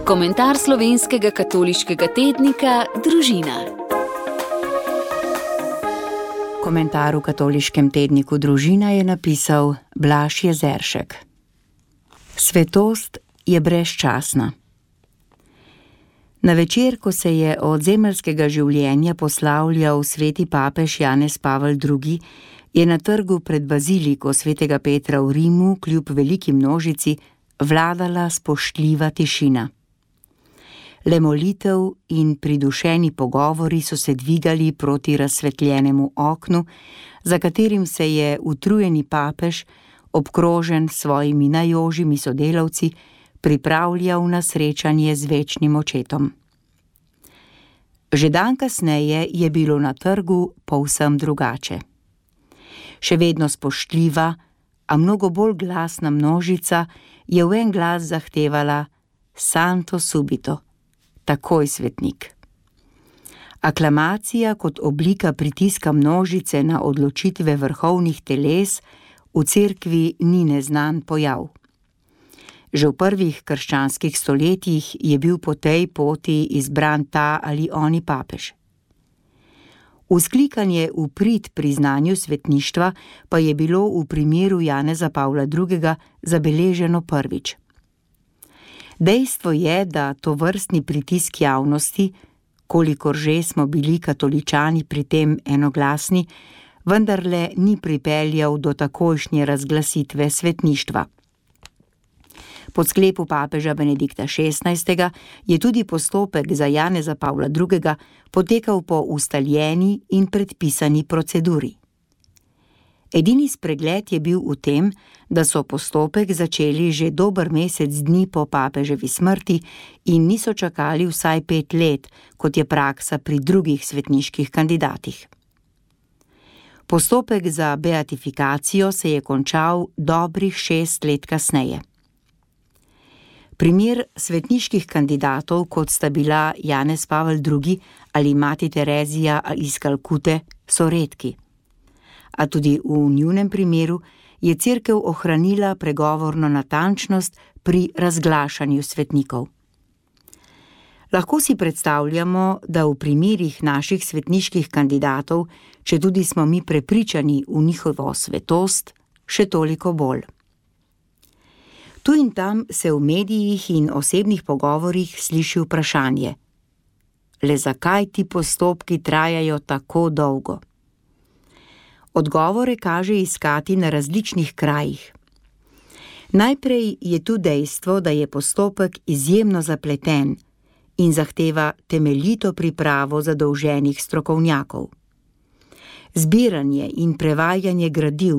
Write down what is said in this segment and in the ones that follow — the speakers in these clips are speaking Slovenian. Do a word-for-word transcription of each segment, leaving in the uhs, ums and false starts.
Komentar slovenskega katoliškega tednika Družina. Komentar v katoliškem tedniku Družina je napisal Blaž Jezeršek. Svetost je brezčasna. Na večer, ko se je od zemeljskega življenja poslavljal sveti papež Janez Pavel drugi, je na trgu pred baziliko svetega Petra v Rimu kljub veliki množici vladala spoštljiva tišina. Le molitev in pridušeni pogovori so se dvigali proti razsvetljenemu oknu, za katerim se je utrujeni papež, obkrožen s svojimi najožjimi sodelavci, pripravljal na srečanje z večnim očetom. Že dan kasneje je bilo na trgu povsem drugače. Še vedno spoštljiva, a mnogo bolj glasna množica je v en glas zahtevala Santo subito, takoj svetnik. Aklamacija kot oblika pritiska množice na odločitve vrhovnih teles v cerkvi ni neznan pojav. Že v prvih krščanskih stoletjih je bil po tej poti izbran ta ali oni papež. Vzklikanje v prid priznanju svetništva pa je bilo v primeru Janeza Pavla drugega zabeleženo prvič. Dejstvo je, da tovrstni pritisk javnosti, kolikor že smo bili katoličani pri tem enoglasni, vendarle ni pripeljal do takojšnje razglasitve svetništva. Po sklepu papeža Benedikta šestnajstega je tudi postopek za Janeza Pavla drugega potekal po ustaljeni in predpisani proceduri. Edini spregled je bil v tem, da so postopek začeli že dober mesec dni po papeževi smrti in niso čakali vsaj pet let, kot je praksa pri drugih svetniških kandidatih. Postopek za beatifikacijo se je končal dobrih šest let kasneje. Primer svetniških kandidatov, kot sta bila Janez Pavel drugi ali mati Terezija iz Kalkute, so redki. A tudi v njunem primeru je cerkev ohranila pregovorno natančnost pri razglašanju svetnikov. Lahko si predstavljamo, da v primerih naših svetniških kandidatov, če tudi smo mi prepričani v njihovo svetost, še toliko bolj. Tu in tam se v medijih in osebnih pogovorih sliši vprašanje: le zakaj ti postopki trajajo tako dolgo? Odgovore kaže iskati na različnih krajih. Najprej je tu dejstvo, da je postopek izjemno zapleten in zahteva temeljito pripravo zadolženih strokovnjakov. Zbiranje in prevajanje gradiv,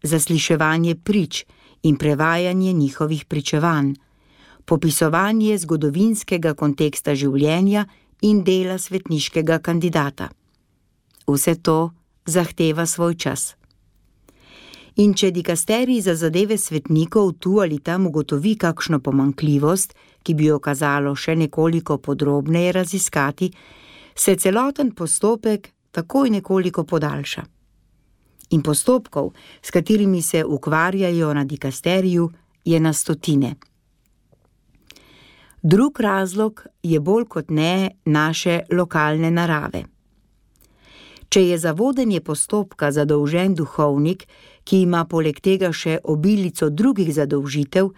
zasliševanje prič in prevajanje njihovih pričevanj, popisovanje zgodovinskega konteksta življenja in dela svetniškega kandidata. Vse to zahteva svoj čas. In če dikasterij za zadeve svetnikov tu ali tam ugotovi kakšno pomanjkljivost, ki bi jo kazalo še nekoliko podrobneje raziskati, se celoten postopek takoj nekoliko podaljša. In postopkov, s katerimi se ukvarjajo na dikasteriju, je na stotine. Drug razlog je bolj kot ne naše lokalne narave. Če je za vodenje postopka zadolžen duhovnik, ki ima poleg tega še obilico drugih zadolžitev,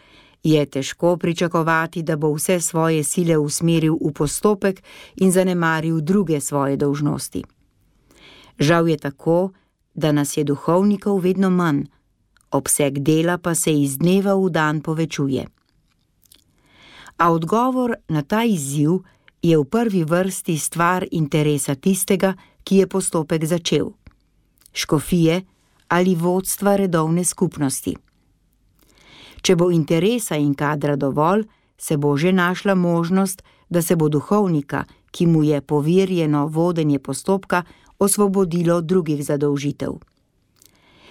je težko pričakovati, da bo vse svoje sile usmeril v postopek in zanemaril druge svoje dolžnosti. Žal je tako, da nas je duhovnikov vedno manj, obseg dela pa se iz dneva v dan povečuje. A odgovor na ta izziv je v prvi vrsti stvar interesa tistega, ki je postopek začel, škofije ali vodstva redovne skupnosti. Če bo interesa in kadra dovolj, se bo že našla možnost, da se bo duhovnika, ki mu je poverjeno vodenje postopka, osvobodilo drugih zadolžitev.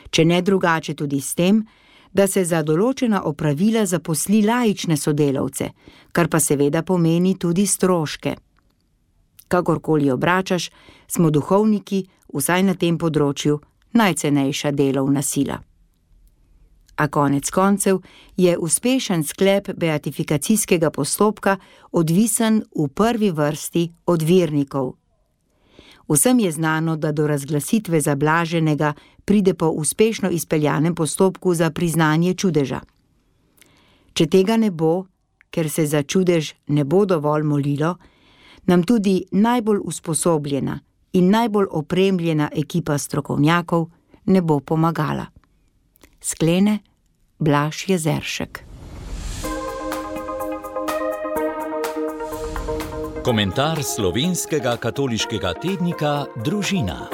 Če ne drugače tudi s tem, da se za določena opravila zaposli laične sodelavce, kar pa seveda pomeni tudi stroške. Kakorkoli obračaš, smo duhovniki, vsaj na tem področju, najcenejša delovna sila. A konec koncev je uspešen sklep beatifikacijskega postopka odvisen v prvi vrsti od vernikov. Vsem je znano, da do razglasitve za blaženega pride po uspešno izpeljanem postopku za priznanje čudeža. Če tega ne bo, ker se za čudež ne bo dovolj molilo, nam tudi najbolj usposobljena in najbolj opremljena ekipa strokovnjakov ne bo pomagala. Sklene Blaž Jezeršek. Komentar slovenskega katoliškega tednika Družina.